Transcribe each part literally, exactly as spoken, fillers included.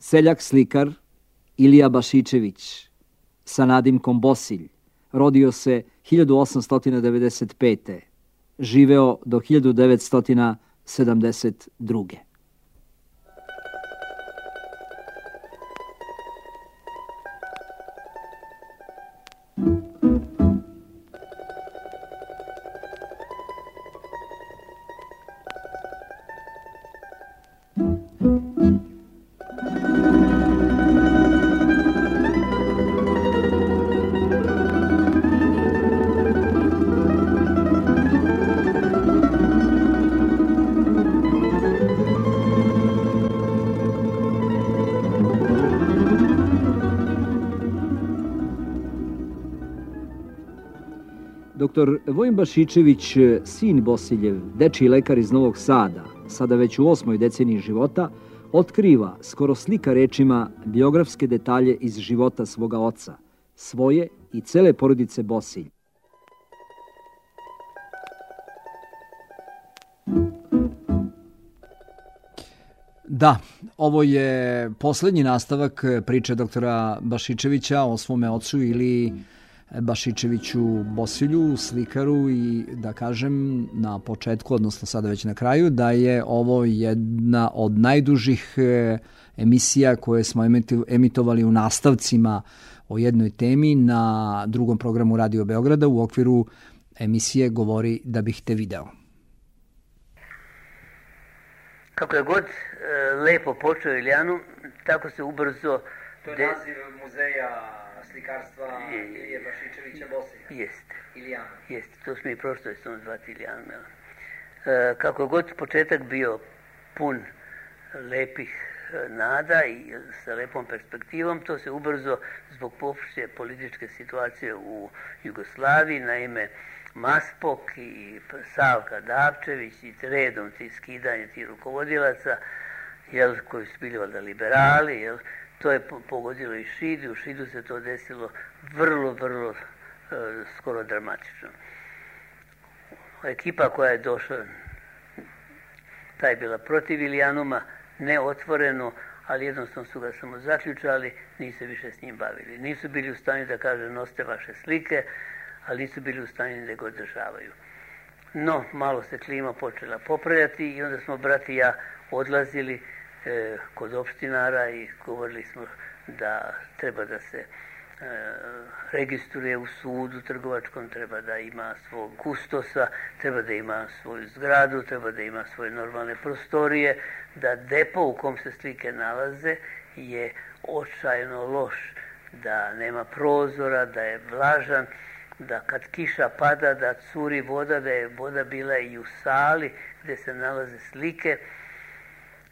Seljak slikar Ilija Bašičević sa nadimkom Bosilj rodio se hiljadu osamsto devedeset pete. Živeo do hiljadu devetsto sedamdeset druge. Doktor Vojin Bašičević, sin Bosiljev, dečiji lekar iz Novog Sada, sada već u osmoj deceniji života, otkriva, skoro slika rečima, biografske detalje iz života svoga oca, svoje i cele porodice Bosilj. Da, ovo je poslednji nastavak priče doktora Bašičevića o svome ocu ili Bašičeviću Bosilju, slikaru, i da kažem na početku, odnosno sada već na kraju, da je ovo jedna od najdužih emisija koje smo emitovali u nastavcima o jednoj temi na drugom programu Radio Beograda u okviru emisije Govori da bih te video. Kako je god lepo počeo Ilijanu, tako se ubrzo... To je naziv muzeja slikarstva Ilije Bašičevića Bosilja. Jeste. Ilijana. Jeste, to smo i prošlo s tom zvati Ilijana. E, kako god početak bio pun lepih nada i sa lepom perspektivom, to se ubrzo zbog popšte političke situacije u Jugoslaviji, naime Maspok i Savka Davčević i redom ti skidanje tih rukovodilaca, jel, koji su bili valjda liberali, jel, to je pogodilo i Šid, i u Šidu se to desilo vrlo, vrlo e, skoro dramatično. Ekipa koja je došla, ta je bila protiv Ilijanuma, ne otvoreno, ali jednostavno su ga samo zaključali, nisu se više s njim bavili. Nisu bili u stanju da kaže nosite vaše slike, ali nisu bili u stanju da ga održavaju. No, malo se klima počela popravljati i onda smo brat i ja odlazili e, kod opštinara i govorili smo da treba da se e, registruje u sudu trgovačkom, treba da ima svog kustosa, treba da ima svoju zgradu, treba da ima svoje normalne prostorije, da depo u kom se slike nalaze je očajno loš, da nema prozora, da je vlažan, da kad kiša pada da curi voda, da je voda bila i u sali gdje se nalaze slike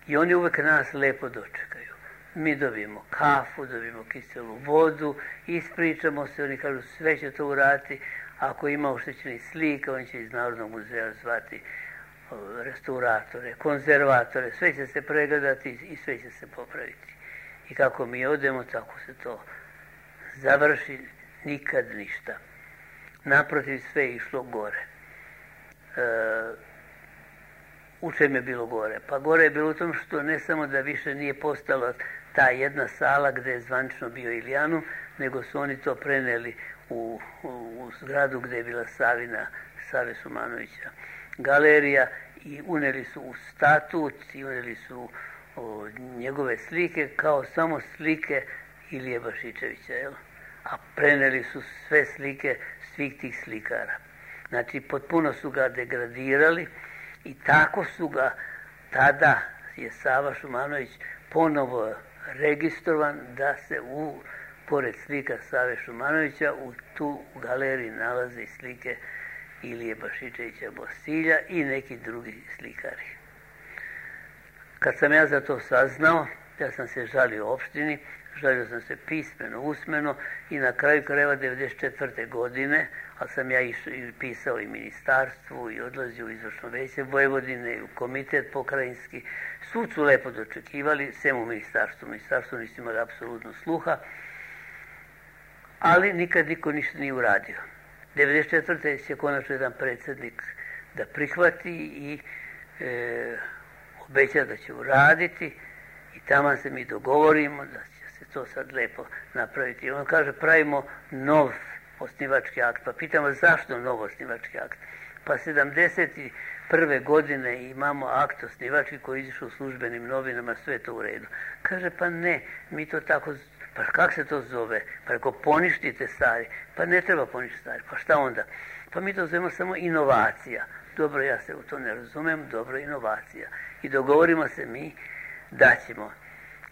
i oni uvek nas lepo dočekaju. Mi dobijemo kafu, dobijemo kiselu vodu, ispričamo se, oni kažu sve će to uraditi, ako ima oštećenih slika, on će iz Narodnog muzeja zvati restauratore, konzervatore, sve će se pregledati i sve će se popraviti. I kako mi odemo, tako se to završi, nikad ništa. Naprotiv, sve je išlo gore. E, u čem je bilo gore? Pa gore je bilo u tom što ne samo da više nije postala ta jedna sala gde je zvanično bio Ilijanum, nego su oni to preneli u, u, u zgradu gde je bila Savina, Save Šumanovića galerija i uneli su u statut i uneli su o, njegove slike kao samo slike Ilije Bašičevića, jel? A preneli su sve slike svih tih slikara. Znači, potpuno su ga degradirali i tako su ga, tada je Sava Šumanović ponovo registrovan da se u, pored slika Save Šumanovića, u tu galeriji nalaze slike Ilije Bašičevića Bosilja i neki drugi slikari. Kad sam ja za to saznao, ja sam se žalio opštini, žalio sam se pismeno, usmeno i na kraju krajeva devedeset četvrte godine, a sam ja išao i pisao i ministarstvu i odlazio u izvršno veće Vojvodine i u komitet pokrajinski. Sud su lepo dočekivali, sem u ministarstvu. Ministarstvo nisu imali apsolutno sluha, ali nikad niko ništa nije uradio. devedeset četvrte će konačno jedan predsjednik da prihvati i e, obeća da će uraditi. I tamo se mi dogovorimo da će se to sad lepo napraviti. I on kaže, pravimo nov osnivački akt. Pa pitamo zašto nov osnivački akt? Pa sedamdeset prve godine imamo akt osnivački koji izišao u službenim novinama, sve to u redu. Kaže, pa ne, mi to tako, pa kako se to zove? Pa ako poništite stari, pa ne treba poništiti stari, pa šta onda? Pa mi to zovemo samo inovacija. Dobro, ja se u to ne razumem, dobro, inovacija. I dogovorimo se mi da ćemo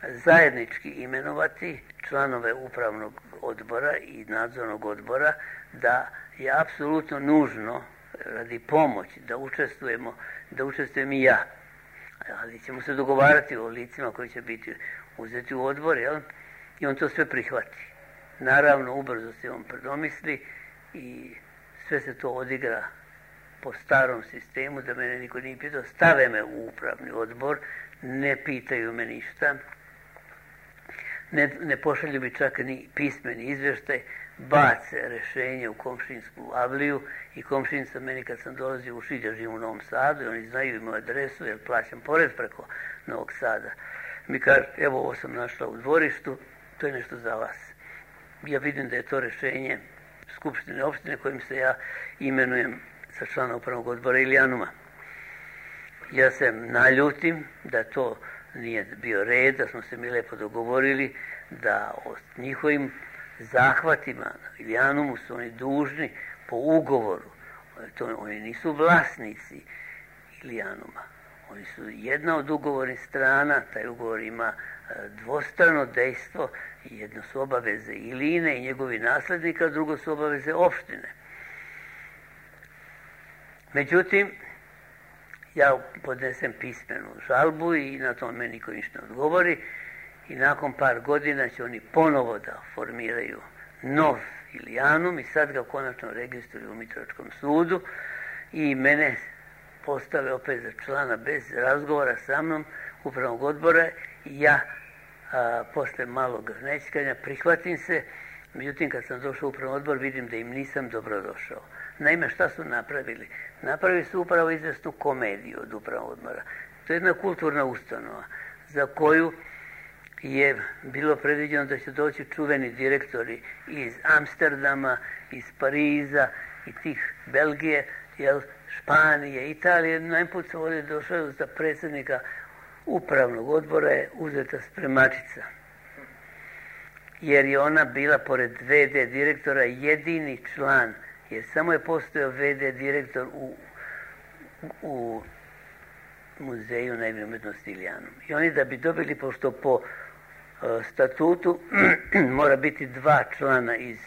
zajednički imenovati članove upravnog odbora i nadzornog odbora, da je apsolutno nužno radi pomoći da učestvujemo, da učestvujem i ja. Ali ćemo se dogovarati o licima koji će biti uzeti u odbor, jel? I on to sve prihvati. Naravno, ubrzo se on predomisli i sve se to odigra po starom sistemu, da mene niko nije pitao, stave me u upravni odbor, ne pitaju me ništa, ne, ne pošalju mi čak ni pismeni izvještaj, bace rešenje u komšinsku avliju i komšinca meni kad sam dolazio u Šid, ja živim u Novom Sadu i oni znaju moju adresu jer plaćam porez preko Novog Sada. Mi kaže, evo ovo sam našla u dvorištu, to je nešto za vas. Ja vidim da je to rešenje Skupštine opštine kojim se ja imenujem sa člana upravnog odbora Ilijanuma. Ja se naljutim da to nije bio red, da smo se mi lepo dogovorili da o njihovim zahvatima na Ilijanumu su oni dužni po ugovoru. To, oni nisu vlasnici Ilijanuma. Oni su jedna od ugovornih strana, taj ugovor ima dvostrano dejstvo, jedno su obaveze Iline i njegovi naslednika, drugo su obaveze opštine. Međutim, ja podnesem pismenu žalbu i na to meni niko ništa ne odgovori i nakon par godina će oni ponovo da formiraju nov Ilijanum i sad ga konačno registruju u Mitrovičkom sudu i mene postave opet za člana bez razgovora sa mnom upravnog odbora i ja a, posle malog nećkanja prihvatim se, međutim kad sam došao u upravni odbor vidim da im nisam dobro došao. Naime, šta su napravili? Napravili su upravo izvesnu komediju od upravnog odbora. To je jedna kulturna ustanova za koju je bilo predviđeno da će doći čuveni direktori iz Amsterdama, iz Pariza i tih Belgije, jel, Španije, Italije. Najput sam ovdje došao za predsjednika upravnog odbora je uzeta spremačica. Jer je ona bila, pored ve de direktora, jedini član, jer samo je postojao ve de direktor u, u muzeju naivne umjetnosti Ilijanum. I oni da bi dobili, pošto po uh, statutu mora biti dva člana iz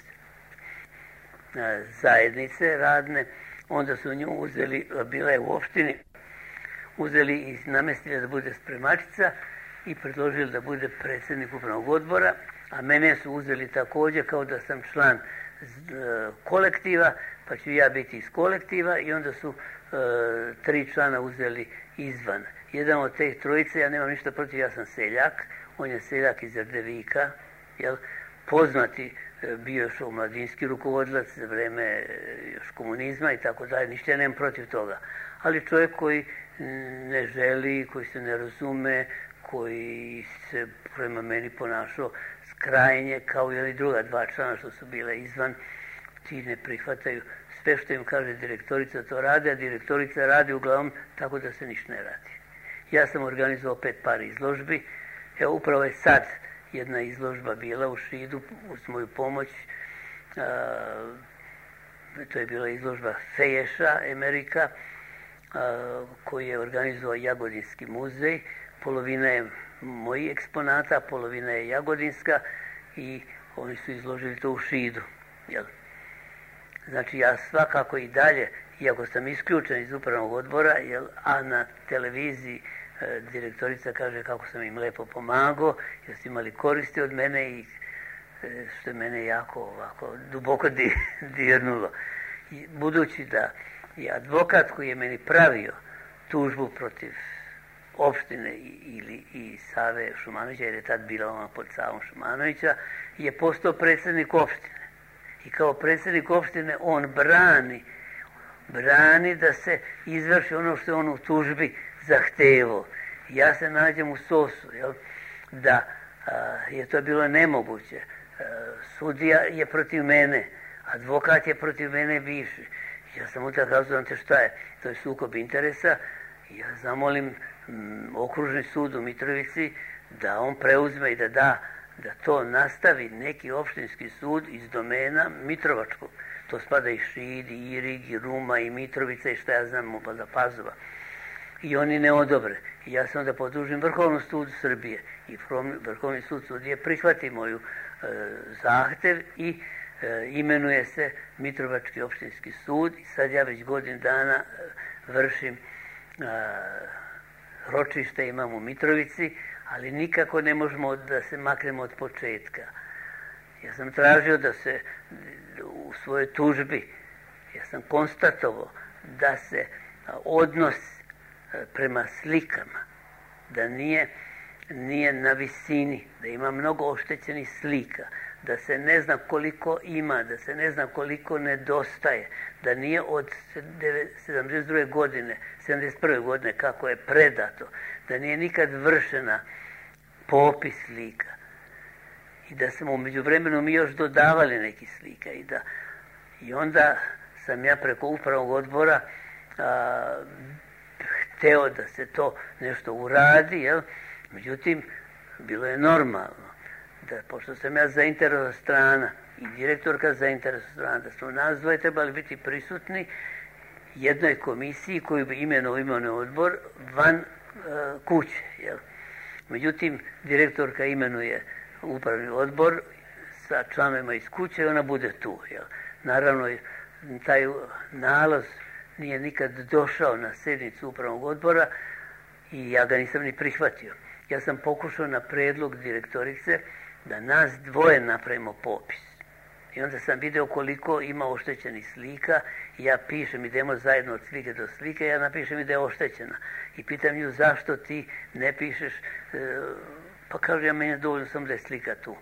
uh, zajednice radne, onda su nju uzeli, bila je u opštini, uzeli i namestili da bude spremačica i predložili da bude predsjednik upravnog odbora, a mene su uzeli također kao da sam član kolektiva, pa ću ja biti iz kolektiva i onda su e, tri člana uzeli izvan. Jedan od te trojice, ja nemam ništa protiv, ja sam seljak, on je seljak iz Erdevika, jel, poznati, e, bio još omladinski rukovodilac za vreme e, još komunizma i tako dalje, ništa ja nemam protiv toga. Ali čovjek koji ne želi, koji se ne razume, koji se prema meni ponašao skrajnje, kao i druga dva člana što su bile izvan, ti ne prihvataju sve što im kaže direktorica, to rade, a direktorica radi uglavnom tako da se ništa ne radi. Ja sam organizovao pet par izložbi, evo upravo je sad jedna izložba bila u Šidu uz moju pomoć, a, to je bila izložba Feješa, Amerika, a, koji je organizovao Jagodinski muzej, polovina je moji eksponata, polovina je jagodinska i oni su izložili to u Šidu. Jel? Znači ja svakako i dalje, iako sam isključen iz upravnog odbora, jel, a na televiziji e, direktorica kaže kako sam im lepo pomagao, jer su imali koristi od mene i e, što je mene jako ovako duboko di, dirnulo. I, budući da je advokat koji je meni pravio tužbu protiv opštine ili i Save Šumanovića, jer je tad bila ona pod Savom Šumanovića, je postao predsjednik opštine. I kao predsjednik opštine on brani, brani da se izvrši ono što je on u tužbi zahtevao. Ja se nađem u sosu, jel? da je to bilo nemoguće. Sudija je protiv mene, advokat je protiv mene bivši. Ja sam mu tako razumio, znate šta je, to je sukob interesa. Ja zamolim m, okružni sud u Mitrovici da on preuzme i da da, da to nastavi neki opštinski sud iz domena Mitrovačkog. To spada i Šid, i Irig, i Ruma, i Mitrovica, i šta ja znam, pa za Pazova. I oni ne odobre. I ja sam da podužim Vrhovnom sudu Srbije. I Vrhovni sud sudije prihvati moju e, zahtev i e, imenuje se Mitrovački opštinski sud. I sad ja već godin dana e, vršim e, ročište, imam u Mitrovici, ali nikako ne možemo da se maknemo od početka. Ja sam tražio da se u svojoj tužbi, ja sam konstatovao da se odnos prema slikama, da nije, nije na visini, da ima mnogo oštećenih slika, da se ne zna koliko ima, da se ne zna koliko nedostaje, da nije od sedamdeset druge godine, sedamdeset prve godine kako je predato, da nije nikad vršena popis slika i da smo umeđu vremenu mi još dodavali neki slika i da i onda sam ja preko upravnog odbora a, hteo da se to nešto uradi, jel? Međutim, bilo je normalno da, pošto sam ja zainteresovana strana i direktorka zainteresovana strana, da smo nas dvoje trebali biti prisutni jednoj komisiji koju bi imenovao imenovni odbor van uh, kuće, jel? Međutim, direktorka imenuje upravni odbor sa članovima iz kuće i ona bude tu, jel? Naravno, taj nalaz nije nikad došao na sjednicu upravnog odbora i ja ga nisam ni prihvatio. Ja sam pokušao na predlog direktorice da nas dvoje napravimo popis. I onda sam video koliko ima oštećenih slika i ja pišem, idemo zajedno od slike do slike, ja napišem i da je oštećena. I pitam nju zašto ti ne pišeš, pa kažu ja meni je dovoljno sam da je slika tu.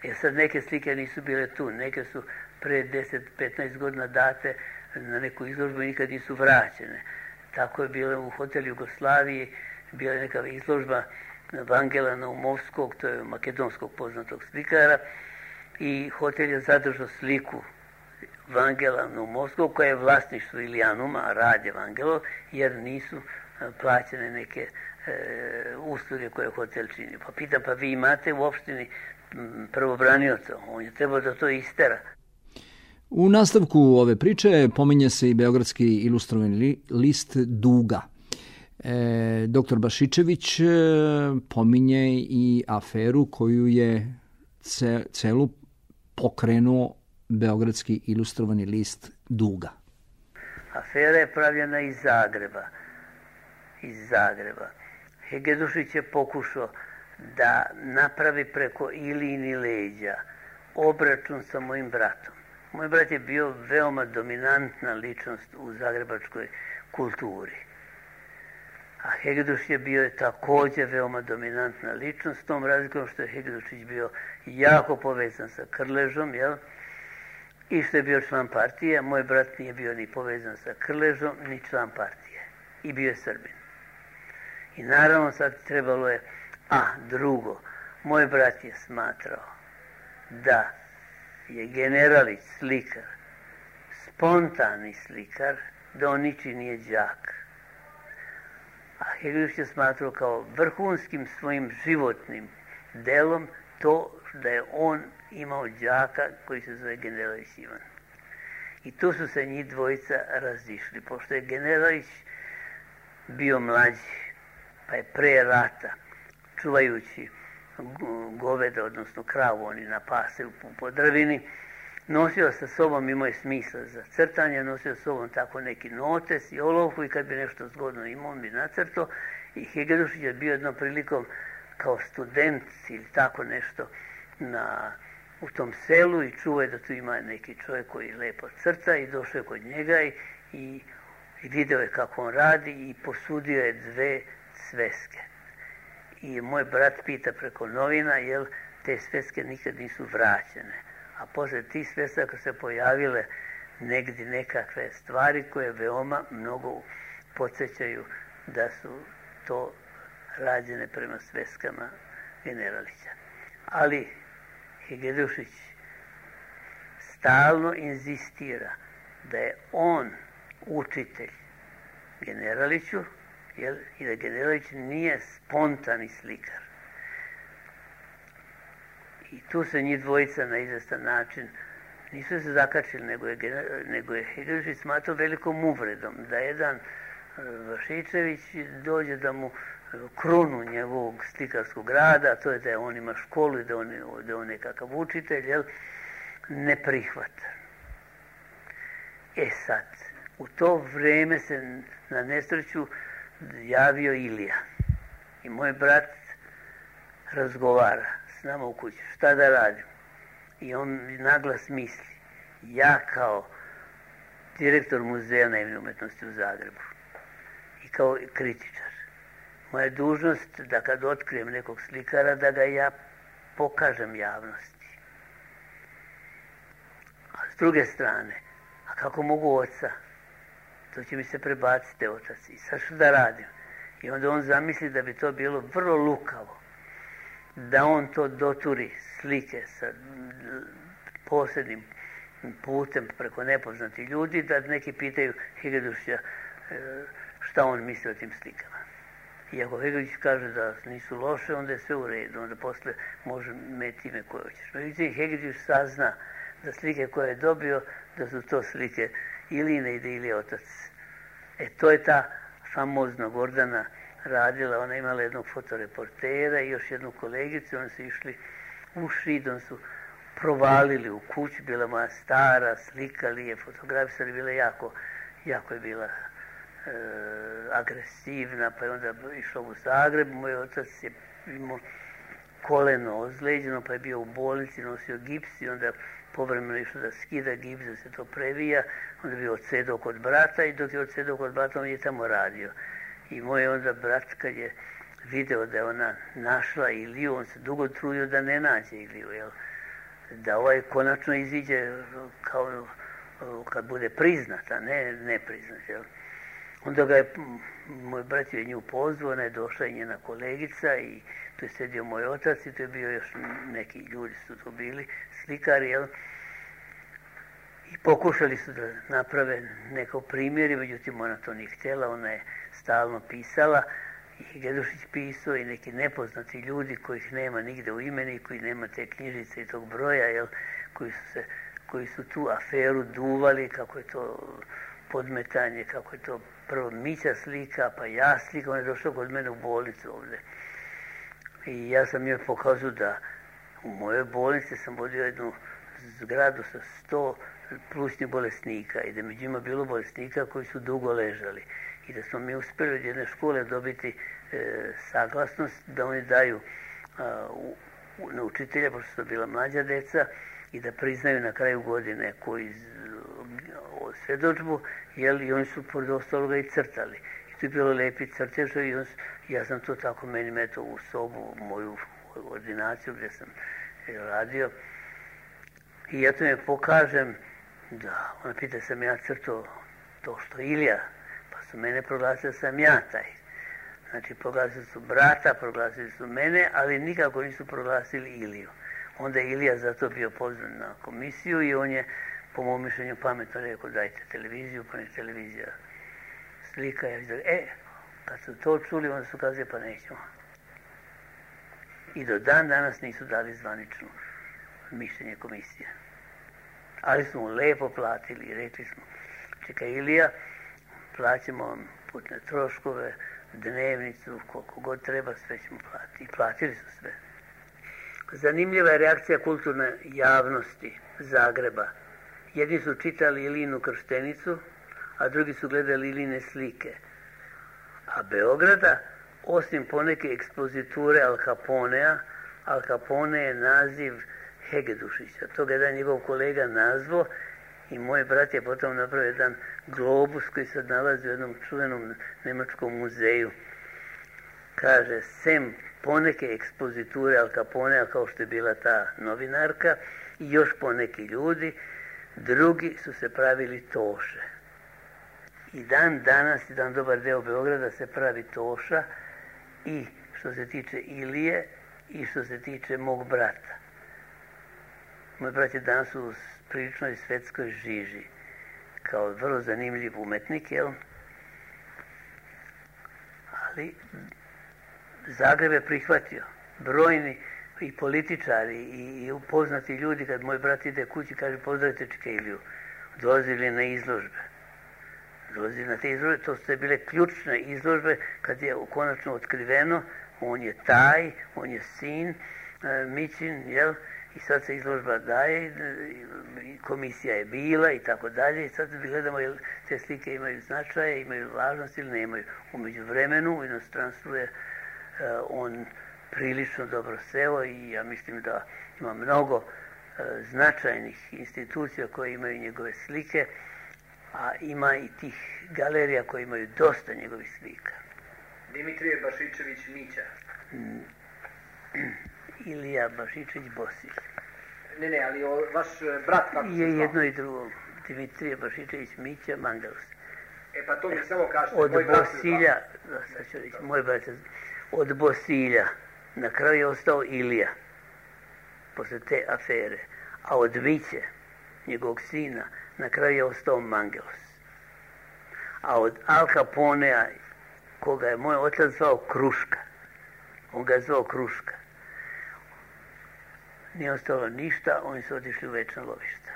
Jer sad neke slike nisu bile tu, neke su pre deset do petnaest godina date na neku izložbu i nikad nisu vraćene. Tako je bilo u hotelu Jugoslaviji, bila je neka izložba Vangela Naumovskog, to je makedonskog poznatog slikara, i hotel je zadržao sliku Vangela Naumovskog, koja je vlasništvo Ilijanuma, a rad je Vangelov, jer nisu plaćene neke e, usluge koje hotel čini. Pa pitam, pa vi imate u opštini pravobranioca, on je trebao da to istera. U nastavku ove priče pominje se i beogradski ilustrovani list Duga. E, doktor Bašičević pominje i aferu koju je ce, celu pokrenuo beogradski ilustrovani list Duga. Afera je pravljena iz Zagreba. Iz Zagreba. Hegedušić je pokušao da napravi preko Ilijini leđa obračun sa mojim bratom. Moj brat je bio veoma dominantna ličnost u zagrebačkoj kulturi. A Hegedušić je bio takođe veoma dominantna ličnost, s tom razlikom što je Hegedušić bio jako povezan sa Krležom, jel? I što je bio član partije, moj brat nije bio ni povezan sa Krležom, ni član partije. I bio je Srbin. I naravno sad trebalo je, a drugo, moj brat je smatrao da je Generalić slikar, spontani slikar, da on niči nije đak. A Hegedušić je smatrao kao vrhunskim svojim životnim delom to da je on imao đaka koji se zove Generalić Ivan. I tu su se njih dvojica razišli, pošto je Generalić bio mlađi, pa je pre rata, čuvajući goveda, odnosno kravu, oni na pase u Podravini, nosio sa sobom, imao je smisla za crtanje, nosio sa sobom tako neki notes i olovku i kad bi nešto zgodno imao, on bi nacrtao. I Hegedušić je bio jednom prilikom kao student ili tako nešto na, u tom selu i čuo je da tu ima neki čovjek koji lepo crta i došao je kod njega i, i, i video je kako on radi i posudio je dve sveske. I moj brat pita preko novina, jel te sveske nikad nisu vraćene. A posle tih svesaka se pojavile negdje nekakve stvari koje veoma mnogo podsjećaju da su to rađene prema sveskama Generalića. Ali Hegedushić stalno inzistira da je on učitelj Generaliću, jel, i da Generalić nije spontani slikar. I tu se njih dvojica na izvestan način nisu se zakačili, nego je, nego je Hegedushić smatrao velikom uvredom da jedan Vašičević dođe da mu krunu njegovog slikarskog rada, a to je da on ima školu i da on, da on nekakav učitelj, jel, ne prihvata. E sad, u to vreme se na nesreću javio Ilija. I moj brat razgovara s nama u kući, šta da radim? I on naglas misli, ja kao direktor Muzeja naivne umetnosti u Zagrebu i kao kritičar, moja je dužnost da kad otkrijem nekog slikara, da ga ja pokažem javnosti. A s druge strane, a kako mogu oca? To će mi se prebaciti otac. I sad što da radim? I onda on zamisli da bi to bilo vrlo lukavo, da on to doturi slike sa posebnim putem preko nepoznatih ljudi, da neki pitaju Hegedushića šta on misli o tim slikama. I ako Hegedushić kaže da nisu loše, onda je sve u redu, onda posle može meti ime koje hoćeš. Međutim, Hegedushić sazna da slike koje je dobio, da su to slike Iline i da Ilije otac. E, to je ta famozna Gordana radila, ona imala jednog fotoreportera i još jednu kolegicu, oni su išli u Šid, oni su provalili u kuću, bila moja stara, slikali je, fotografisali, bila jako, jako je bila e, agresivna, pa je onda išla u Zagreb, moj otac je imao koleno ozleđeno, pa je bio u bolnici, nosio gips i onda povremeno išao da skida gips, da se to previja, onda je bio odsedao kod brata i dok je odsedao kod brata, on je tamo radio. I moj onda brat, kad je video da je ona našla Iliju, on se dugo trudio da ne nađe Iliju, jel? Da ovaj konačno iziđe kao kad bude priznata, ne, ne priznat, jel? Onda ga je, moj brat je nju pozvao, ona je došla i njena kolegica i tu je sedio moj otac i tu je bio još neki ljudi su tu bili, slikari, jel? I pokušali su da naprave neko primjer, međutim ona to nije htjela, ona je stalno pisala i Hegedushić pisao i neki nepoznati ljudi kojih nema nigde u imeni, koji nema te knjižice i tog broja, jel? Koji su, se, koji su tu aferu duvali, kako je to podmetanje, kako je to prvo Mića slika, pa ja slika, on je došao kod mene u bolnicu ovdje. I ja sam joj pokazao da u mojoj bolnici sam vodio jednu zgradu sa sto plućnih bolesnika i da među njima bilo bolesnika koji su dugo ležali. I da smo mi uspjeli od jedne škole dobiti e, saglasnost da oni daju a, u, u, na učitelja, pošto su to bila mlađa deca, i da priznaju na kraju godine koji svjedočbu, jel, i oni su pored ostaloga i crtali. I tu je bilo lepi crteža i on, ja sam to tako meni metao u sobu, moju, moju ordinaciju gdje sam radio. I ja to mi pokažem da, ona pita sam ja crtao to što Ilija, pa su mene proglasili sam ja taj. Znači proglasili su brata, proglasili su mene, ali nikako nisu proglasili Iliju. Onda je Ilija zato bio pozvan na komisiju i on je, po mom mišljenju, pametno rekao dajte televiziju, pa ne televizija slika. Ja vidim, e, kad su to čuli, onda su kazali pa nećemo. I do dan danas nisu dali zvanično mišljenje komisije. Ali smo mu lepo platili i rekli smo, čekaj Ilija, plaćamo vam putne troškove, dnevnicu, koliko god treba, sve ćemo platiti. I platili su sve. Zanimljiva je reakcija kulturne javnosti Zagreba. Jedni su čitali Ilinu krštenicu, a drugi su gledali Iline slike. A Beograda, osim poneke ekspoziture Al Caponea, Al Capone je naziv Hegedushića. To ga jedan njegov kolega nazvao i moj brat je potom napravio jedan globus koji se nalazi u jednom čuvenom nemačkom muzeju. Kaže, sem poneke ekspoziture Al Caponea, kao što je bila ta novinarka, i još poneki ljudi, drugi su se pravili toše. I dan danas, jedan dobar deo Beograda se pravi toša i što se tiče Ilije i što se tiče mog brata. Moj brat je danas u priličnoj svetskoj žiži, kao vrlo zanimljiv umetnik, jel? Ali Zagreb je prihvatio. Brojni i političari i, i upoznati ljudi, kad moj brat ide kući, kaže pozdravite Čika Iliju, dolazili na izložbe. Dolazili na te izložbe, to su bile ključne izložbe, kad je konačno otkriveno, on je taj, on je sin, e, Mićin, jel? I sad se izložba daje, komisija je bila i tako dalje. I sad gledamo jel te slike imaju značaje, imaju važnost ili nemaju. U međuvremenu u inostranstvu je uh, on prilično dobro seo i ja mislim da ima mnogo uh, značajnih institucija koje imaju njegove slike, a ima i tih galerija koje imaju dosta njegovih slika. Dimitrije Bašičević Mića. Mm. Ilija Bašičević Bosilj. Ne, ne, ali o, vaš brat kako se zvao? Je jedno i drugo. Dimitrije Bašičević Mića Mangalos. E pa to mi samo kažete. Od Bosilja, da, sad ću reći, moj brat je, od Bosilja na kraju je ostao Ilija, posle te afere, a od Miće, njegovog sina, na kraju je ostao Mangalos. A od Al Caponea, koga je moj otac zvao Kruška, on ga je zvao Kruška, nije ostalo ništa, oni su otišli u večno lovište.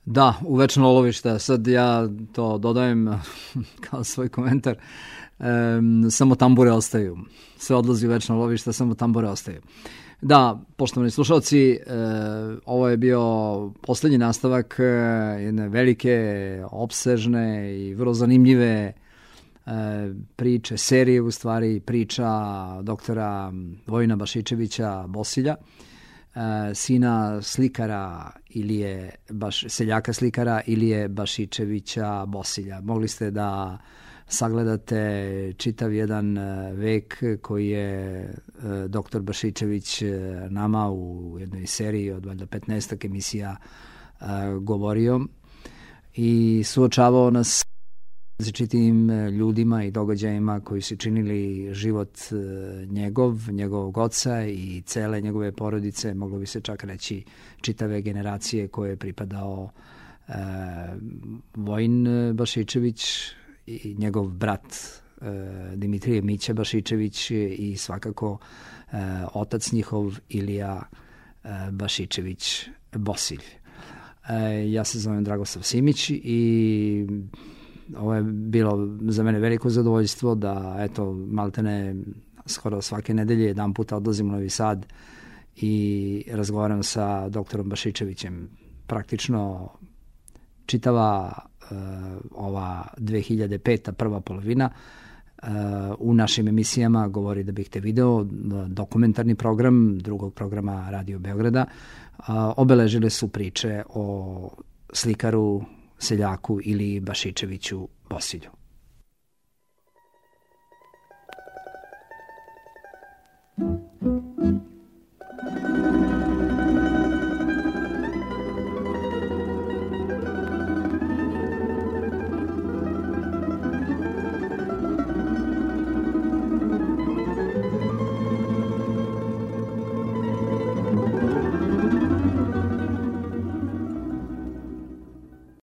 Da, u večno lovište. Sad ja to dodajem kao svoj komentar. E, samo tambure ostaju. Sve odlazi u večno lovište, samo tambure ostaju. Da, poštovani slušalci, e, ovo je bio posljednji nastavak jedne velike, opsežne i vrlo zanimljive e, priče, serije u stvari, priča doktora Vojina Bašičevića Bosilja, sina slikara Ilije, baš, seljaka slikara Ilije Bašičevića Bosilja. Mogli ste da sagledate čitav jedan vek koji je doktor Bašičević nama u jednoj seriji od valjda petnaestak emisija govorio i suočavao nas različitim ljudima i događajima koji su činili život njegov, njegovog oca i cele njegove porodice, moglo bi se čak reći čitave generacije koje je pripadao e, Vojin Bašičević i njegov brat e, Dimitrije Mića Bašičević i svakako e, otac njihov Ilija e, Bašičević Bosilj. E, ja se zovem Dragoslav Simić i ovo je bilo za mene veliko zadovoljstvo da, eto, maltene skoro svake nedelje jedan puta odlazim u Novi Sad i razgovaram sa doktorom Bašičevićem. Praktično čitava uh, ova dve hiljade peta prva polovina uh, u našim emisijama Govori da bih te video, dokumentarni program drugog programa Radio Beograda, uh, obeležile su priče o slikaru, seljaku ili Bašičeviću Bosilju.